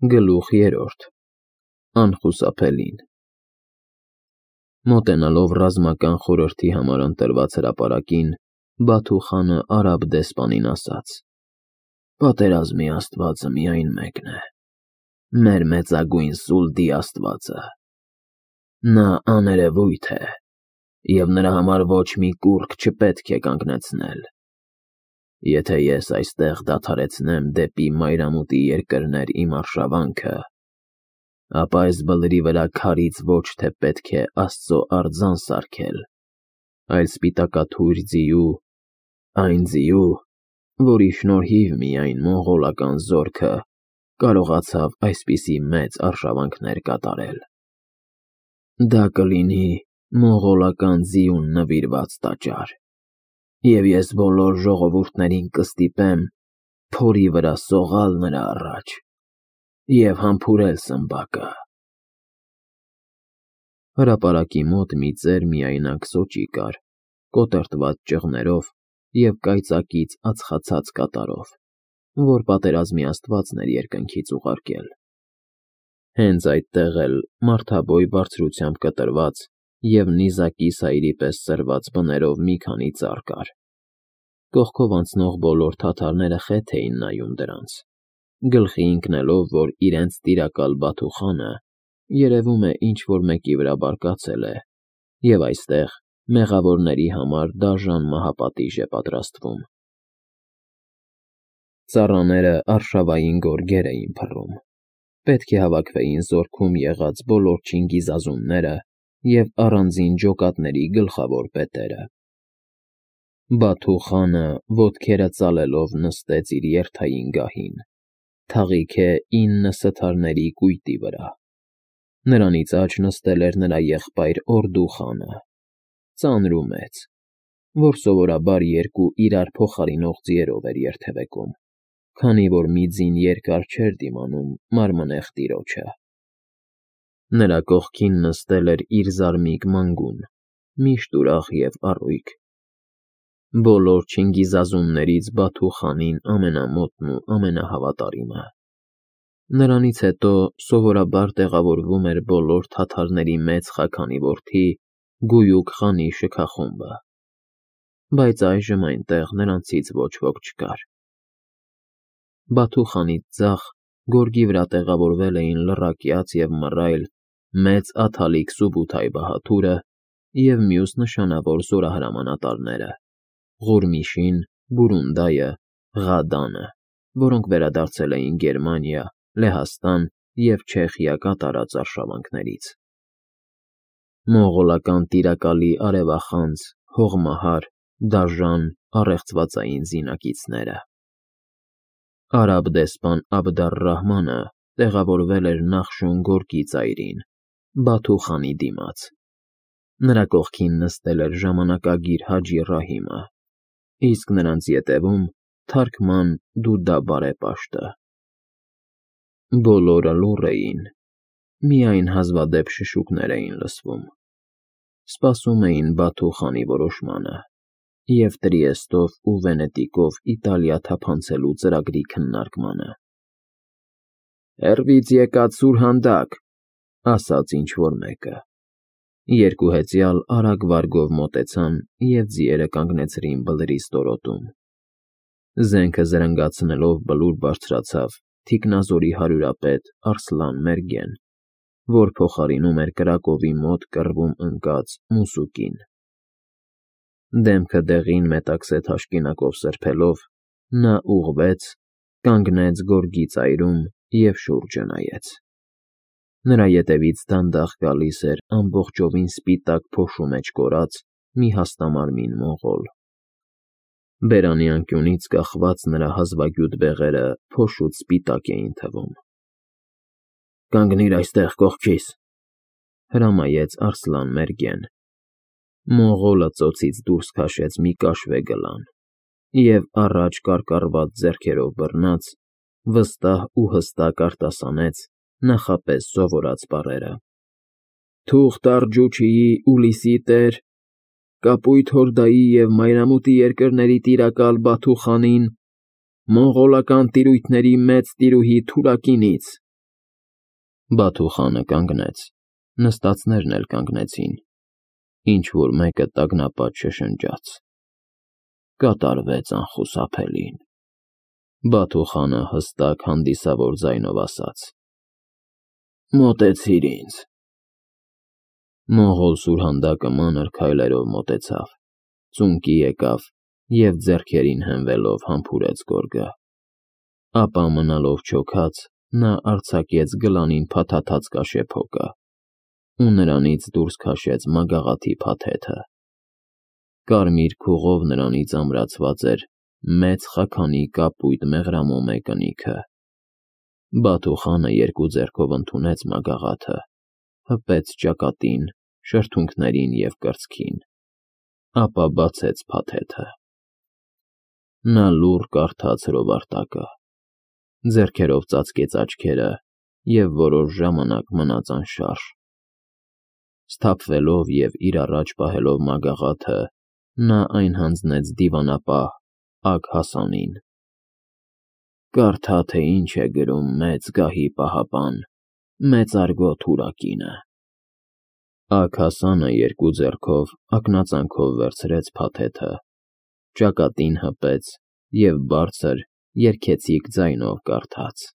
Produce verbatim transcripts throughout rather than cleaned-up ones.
Գլուխ երրորդ Անխուսափելին Մոտենալով ռազմական խորհրդի համար ընտրված հրապարակին, Բաթու խանը արաբ դեսպանին ասաց. «Պատերազմի աստվածը միայն մեկն է, մեր մեծագույն Սուլդի աստվածը։ Նա աներևույթ է, և նրա համար ոչ մի կուռք չպետք է կանգնեցնել։ Եթե ես այստեղ դադարեցնեմ դեպի մայրամուտի երկրներ իմ արշավանքը, ապա այս բլրի վրա քարից ոչ թե պետք է Աստծո արձան սարքել, այլ սպիտակաթույր ձիու, այն ձիու, որի շնորհիվ միայն մոնղոլական զորքը կարողացավ այսպիսի մեծ արշավանքներ կատարել։ Դա կլինի մոնղոլական ձիուն նվիրված տաճար, և ես բոլոր ժողովուրդներին կստիպեմ փորի վրա սողալ նրա առաջ և համբուրել սմբակը»։ Հրապարակի մոտ մի ծեր միայնակ սոճի կար, կոտրտված ճղներով և կայծակից ածխացած կատարով, որ պատերազմի աստվածն էր երկնքից ուղարկել։ Հենց այդտեղ էլ մարդաբոյ բարձրությամբ կտրված և նիզակի սայրի պես ծրված բներով մի քանի ծառ կար։ Կողքով անցնող բոլոր թաթարները խեթ էին նայում դրանց, գլխի ընկնելով, որ իրենց տիրակալ Բաթու խանը երևում է ինչ֊որ մեկի վրա բարկացել է, և այստեղ մեղավորների համար դաժան մահապատիժ է պատրաստվում։ Ծառաները արշավային գորգեր էին փռում, պետք է հավաքվեին զորքում եղած բոլոր չինգիզազունները և առանձին ջոկատների գլխավոր պետերը։ Բաթու խանը ոտքերը ծալելով նստեց իր երթային գահին, թաղիքե ինը սթարների կույտի վրա։ Նրանից աջ նստել էր նրա եղբայր Օրդու խանը, ծանր ու մեծ, որ սովորաբար երկու իրար փոխարինող ձիերով էր երթևեկում, քանի որ մի ձին երկար չէր դիմանում մարմնեղ տիրոջը։ Նրա կողքին նստել էր իր զարմիկ մանգուն, միշտ ուրախ և առույգ։ Բոլոր չինգիզազուններից Բաթու խանին ամենամոտն ու ամենահավատարիմը։ Նրանից հետո սովորաբար տեղավորվում էր բոլոր թաթարների մեծ խաքանի որդի Գույուք խանի շքախումբը, բայց այժմ այնտեղ նրանցից ոչ ոք չկար։ Բաթու խանից ձախ գորգի վրա տեղավորվել էին լռակյաց և մռայլ մեծ աթալիկ Սուբութայ բահաթուրը և մյուս նշանավոր զորահրամանատարները՝ Ղուրմիշին, Բուրունդայը, Ղադանը, որոնք վերադարձել էին Գերմանիա, Լեհաստան և Չեխիա կատարած արշավանքներից։ Մոնղոլական տիրակալի արևախանձ, հողմահար, դաժան, առեղծվածային զինակիցները։ Արաբ դեսպան Աբդ֊ալ֊Ռահմանը տեղավորվել էր Նախշոն գորգի ծայրին, Բաթու խանի դիմաց։ Նրա կողքին նստել էր ժամանակագիր Հաջի Ռահիմը, իսկ նրանց ետևում՝ թարգման Դուդա բարեպաշտը։ Բոլորը լուռ էին, միայն հազվադեպ շշուկներ էին լսվում։ Սպասում էին Բաթու խանի որոշմանը և Տրիեստով ու Վենետիկով Իտալիա թափանցելու ծրագրի քննարկմանը։ «Հեռվից եկած սուրհանդակ», ասաց ինչ֊որ մեկը։ Երկու հեծյալ արագ վարգով մոտեցան և ձիերը կանգնեցրին բլրի ստորոտում։ Զենքը զրնգացնելով բլուր բարձրացավ թիկնազորի հարյուրապետ Արսլան֊Մերգեն, որ փոխարինում էր կրակովի մոտ կռվում ընկած Մուսուկին։ Դեմքը դեղին մետաքսե թաշկինակով սրբելով՝ նա ուղղվեց, կանգնեց գորգի ծայրում և շուրջը նայեց։ Նրա ետևից դանդաղ գալիս էր ամբողջովին սպիտակ փոշու մեջ կորած մի հաստամարմին մոնղոլ։ Բերանի անկյունից կախված նրա հազվագյուտ բեղերը փոշուց սպիտակ էին թվում։ «Կանգնիր այստեղ կողքիս», հրամայեց Արսլան֊Մերգեն։ Մոնղոլը ծոցից դուրս քաշեց մի կաշվե գլան և առաջ կարկառված ձեռքերով բռնած, վստահ ու հստակ արտասանեց նախապես սովորած բառերը. «Թուղթ Արգջուչիի ու Լիսի տեր, Կապույտ Հորդայի և մայրամուտի երկրների տիրակալ Բաթու խանին, մոնղոլական տիրույթների մեծ տիրուհի Թուրակինից, Բաթու խանը կանգնեց, նստածներն էլ կանգնեցին, ինչ-որ մեկը տագնապած շշնջաց. կատարվեց անխուսափելին։ Բաթու խանը հստակ հանդիսավոր ձայնով ասաց. մոտեցիր ինձ։ Մոնղոլ սուրհանդակը մանր քայլերով մոտեցավ, ծունկի եկավ և ձեռքերին հենվելով համբուրեց գորգը, ապա մնալով չոքած, նա արձակեց գլանին փաթաթած կաշեփոկը ու նրանից դուրս քաշեց մագաղաթի փաթեթը։ Կարմիր քուղով նրանից ամրացված էր մեծ խաքանի կապույտ մեղրամոմե կնիքը։ Բաթու խանը երկու ձեռքով ընդունեց մագաղաթը, հպեց ճակատին, շրթունքներին և կրծքին, ապա բացեց փաթեթը։ Նա լուռ կարդաց հրովարտակը, ձեռքերով ծածկեց աչքերը և որոշ ժամանակ մնաց անշարժ։ Սթափվելով և իր առաջ պահելով մագաղաթը, նա այն հանձնեց դիվանապահ Ագ Հասանին։ «Կարդա, թե ինչ է գրում մեծ գահի պահապան, մեծարգո թուրակինը»։ Ագ Հասանը երկու ձեռքով ակնածանով վերցրեց փաթեթը, ճակատին հպեց և բարձր, երգեցիկ ձայնով կարդաց.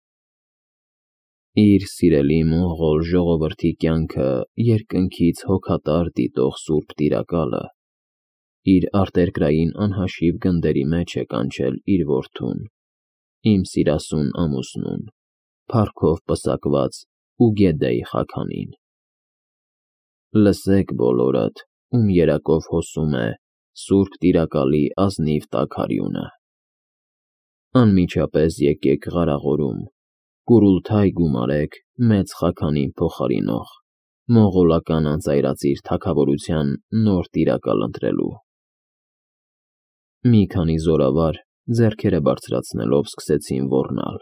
«Իր սիրելի մոնղոլ ժողովրդի կյանքը երկնքից հոգատար դիտող սուրբ տիրակալը իր արտերկրային անհաշիվ գնդերի մեջ է կանչել իր որդուն, իմ սիրասուն ամուսնուն, փառքով պսակված Ուգեդեյ Խաքանին։ Լսեք բոլորդ, ում երակով հոսում է սուրբ տիրակալի ազնիվ տաքարյունը։ Անմիջապես եկեք Ղարաղորում, Կուրուլթայ գումարեք մեծ Խաքանին փոխարինող, մոնղոլական անծայրածիր թագավորության նոր տիրակալ ընտրելու»։ Մի քանի զորավար ձեռքերը բարձրացնելով սկսեցին ոռնալ,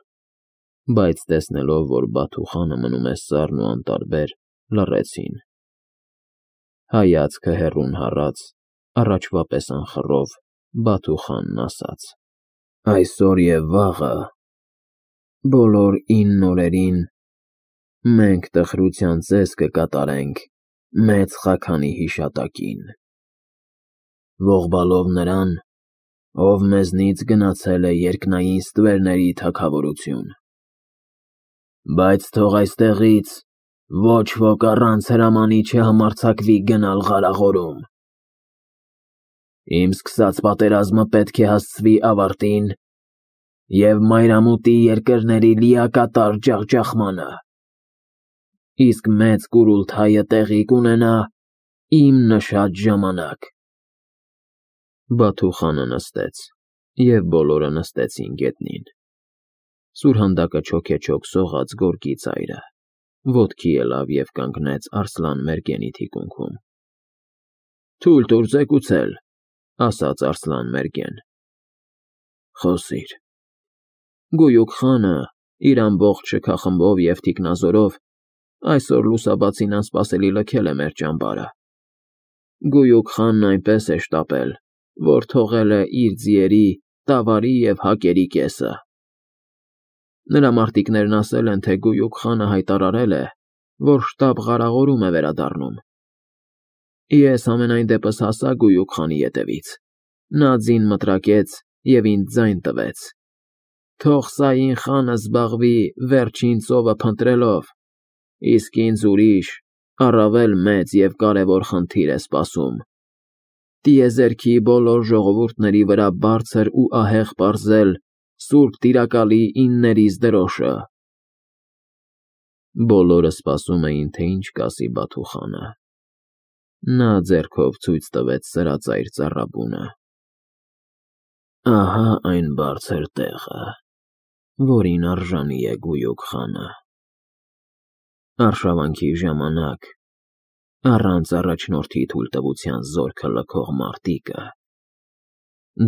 բայց տեսնելով, որ Բաթու խանը մնում է սառն ու անտարբեր, լռեցին։ Հայացքը հեռուն հառած, առաջվա պես անխռով, Բաթու խանն ասաց. «Այսօր և վաղը, բոլոր ինն օրերին, մենք տխրության ծես կկատարենք մեծ Խաքանի հիշատակին, ողբալով նրան, ով մեզնից գնացել է երկնային ստվերների թագավորություն։ Բայց թող այստեղից ոչ ոք առանց հրամանի չհամարձակվի գնալ Ղարաղորում։ Իմ սկսած պատերազմը պետք է հասցվի ավարտին և մայրամուտի երկրների լիակատար ջախջախմանը, իսկ մեծ Կուրուլթայը տեղի կունենա իմ նշած ժամանակ»։ Բաթու խանը նստեց, և բոլորը նստեցին գետնին։ Սուրհանդակը չոքեչոք սողաց գորգի ծայրը, ոտքի ելավ և կանգնեց Արսլան֊Մերգենի թիկունքում։ «Թույլ տուր զեկուցել», ասաց Արսլան֊Մերգեն։ «Խոսիր»։ Գույուք խանը իր ամբողջ շքախմբով և թիկնազորով այսօր լուսաբացին անսպասելի լքել է մեր ճամբարը։ Գույուք խանն այնպես է շտապել, որ թողել է իր ձիերի, տավարի և հակերի կեսը։ Նրա մարտիկներն ասել են, թե Գույուք խանը հայտարարել է, որ շտապ Ղարաղորում է վերադառնում։ Ես համենայն դեպս հասա Գույուք խանի ետևից, նա ձին մտրակեց և ինձ ձայն տվեց. թող Սային խանը զբաղվի վերջին ծովը փնտրելով, իսկ ինձ ուրիշ, առավել մեծ և կարևոր խնդիր է սպասում. տիեզերքի բոլոր ժողովուրդների վրա բարձր ու ահեղ պարզել սուրբ տիրակալի իններիս դրոշը։ Բոլորը սպասում էին, թե ինչ կասի Բաթու խանը։ Նա ձեռքով ցույց տվեց սրածայր ծառաբունը։ «Ահա այն բարձր տեղը, որին արժանի է Գույուք խանը։ Արշավանքի ժամանակ, առանց առաջնորդի թույլտվության զորքը լքող մարտիկը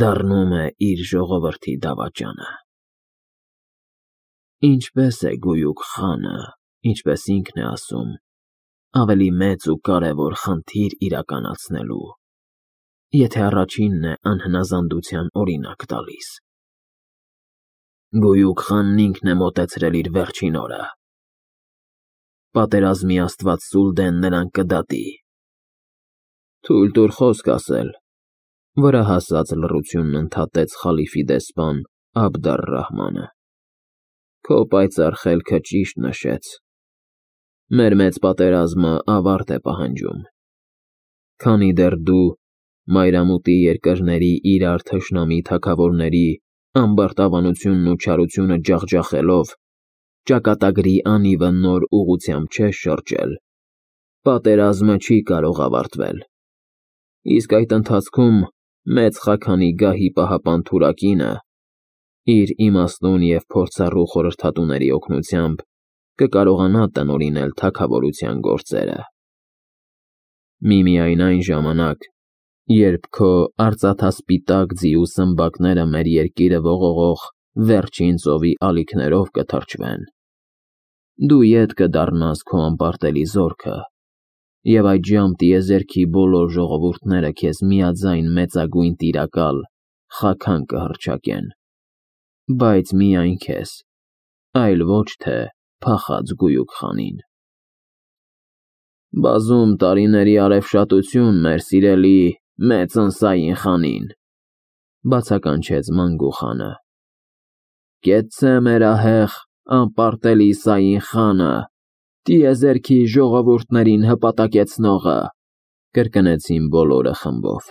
դառնում է իր ժողովրդի դավաճանը։ Ինչպես է Գույուք խանը, ինչպես ինքն է ասում, ավելի մեծ ու կարևոր խնդիր իրականացնելու, եթե առաջինն է անհնազանդության օրինակ տալիս։ Գույուք խանն ինքն է մոտեցրել իր վերջին օրը։ պատերազմի աստված Սուլդեն նրան կդատի։ Թույլ տուր խոսք ասել, վրա հասած լռությունն ընդհատեց խալիֆի դեսպան Աբդ ալ-Ռահմանը։ Քո պայծառ խելքը ճիշտ նշեց։ Մեր մեծ պատերազմը ավարտ է պահանջում։ Քանի դեռ դու մայրամուտի երկրների իրար թշնամի թագավորների ամբարտավանությունն ու չարությունը ջախջախելով, ճակատագրի անիվը նոր ուղղությամբ չես շրջել, պատերազմը չի կարող ավարտվել։ Իսկ այդ ընթացքում մեծ խաքանի գահի պահապան Թուրակինը իր իմաստուն և փորձառու խորհրդատուների օգնությամբ կկարողանա տնօրինել թագավորության գործերը։ Միմիայն այն ժամանակ, երբ քո արծաթասպիտակ ձիու սմբակները մեր երկիրը ողողող վերջին ծովի ալիքներով կթրջվեն, դու ետ կդառնաս քո անպարտելի զորքը, և այդժամ տիեզերքի բոլոր ժողովուրդները քեզ միաձայն մեծագույն տիրակալ Խաքան կհռչակեն, բայց միայն քեզ, այլ ոչ թե փախած գույուկ խանին։ Բազում տարիների արևշատություն, մեր սիրելի մեծ ընսային խանին, բացականչեց Մանգու խանը։ Կեցցե մեր ահեղ անպարտելի Սային խանը, տիեզերքի ժողովուրդներին հպատակեցնողը, կրկնեցին բոլորը խմբով։